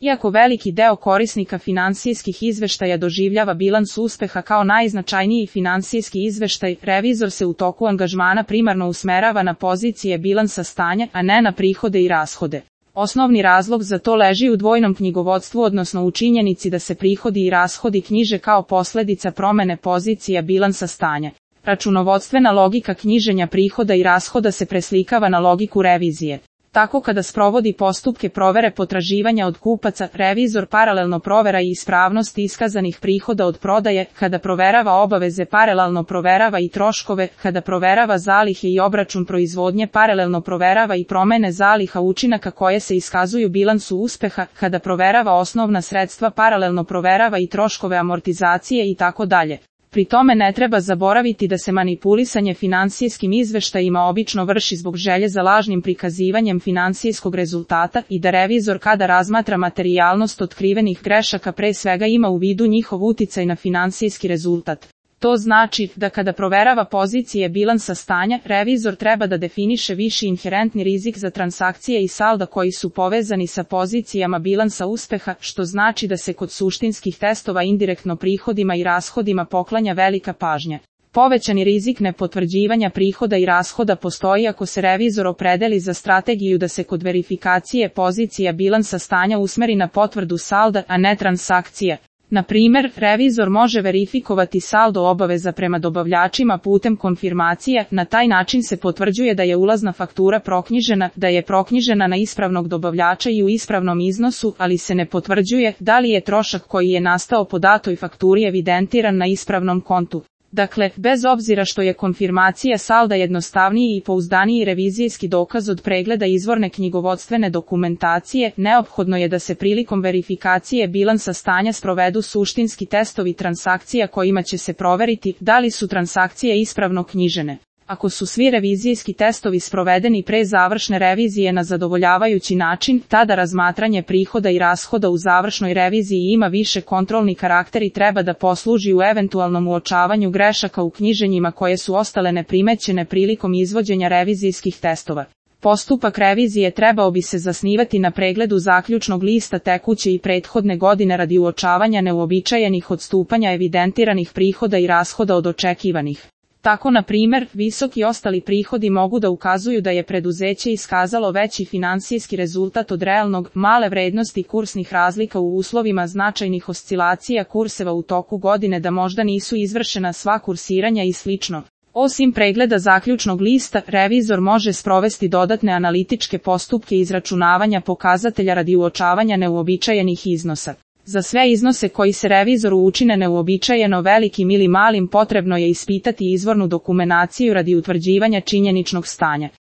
Iako veliki deo korisnika finansijskih izveštaja doživljava bilans uspeha kao najznačajniji finansijski izveštaj, revizor se u toku angažmana primarno usmerava na pozicije bilansa stanja, a ne na prihode i rashode. Osnovni razlog za to leži u dvojnom knjigovodstvu, odnosno u činjenici da se prihodi i rashodi knjiže kao posledica promene pozicija bilansa stanja. Računovodstvena logika knjiženja prihoda i rashoda se preslikava na logiku revizije. Tako kada sprovodi postupke provere potraživanja od kupaca, revizor paralelno provera i ispravnost iskazanih prihoda od prodaje, kada proverava obaveze paralelno proverava i troškove, kada proverava zalihe i obračun proizvodnje paralelno proverava i promene zaliha učinaka koje se iskazuju bilansu uspeha, kada proverava osnovna sredstva paralelno proverava i troškove amortizacije i tako dalje. Pri tome ne treba zaboraviti da se manipulisanje finansijskim izveštajima obično vrši zbog želje za lažnim prikazivanjem finansijskog rezultata i da revizor kada razmatra materijalnost otkrivenih grešaka pre svega ima u vidu njihov uticaj na finansijski rezultat. To znači da kada proverava pozicije bilansa stanja, revizor treba da definiše viši inherentni rizik za transakcije i salda koji su povezani sa pozicijama bilansa uspeha, što znači da se kod suštinskih testova indirektno prihodima i rashodima poklanja velika pažnja. Povećani rizik nepotvrđivanja prihoda i rashoda postoji ako se revizor opredeli za strategiju da se kod verifikacije pozicija bilansa stanja usmeri na potvrdu salda, a ne transakcija. Na primer, revizor može verifikovati saldo obaveza prema dobavljačima putem konfirmacije, na taj način se potvrđuje da je ulazna faktura proknjižena, da je proknjižena na ispravnog dobavljača i u ispravnom iznosu, ali se ne potvrđuje da li je trošak koji je nastao po datoj fakturi evidentiran na ispravnom kontu. Dakle, bez obzira što je konfirmacija salda jednostavniji i pouzdaniji revizijski dokaz od pregleda izvorne knjigovodstvene dokumentacije, neophodno je da se prilikom verifikacije bilansa stanja sprovedu suštinski testovi transakcija kojima će se proveriti da li su transakcije ispravno knjižene. Ako su svi revizijski testovi sprovedeni pre završne revizije na zadovoljavajući način, tada razmatranje prihoda i rashoda u završnoj reviziji ima više kontrolni karakter i treba da posluži u eventualnom uočavanju grešaka u knjiženjima koje su ostale neprimećene prilikom izvođenja revizijskih testova. Postupak revizije trebao bi se zasnivati na pregledu zaključnog lista tekuće i prethodne godine radi uočavanja neuobičajenih odstupanja evidentiranih prihoda i rashoda od očekivanih. Tako, na primer, visoki ostali prihodi mogu da ukazuju da je preduzeće iskazalo veći finansijski rezultat od realnog, male vrednosti kursnih razlika u uslovima značajnih oscilacija kurseva u toku godine, da možda nisu izvršena sva kursiranja i sl. Osim pregleda zaključnog lista, revizor može sprovesti dodatne analitičke postupke izračunavanja pokazatelja radi uočavanja neuobičajenih iznosa. Za sve iznose koji se revizoru učine neuobičajeno velikim ili malim potrebno je ispitati izvornu dokumentaciju radi utvrđivanja činjeničnog stanja.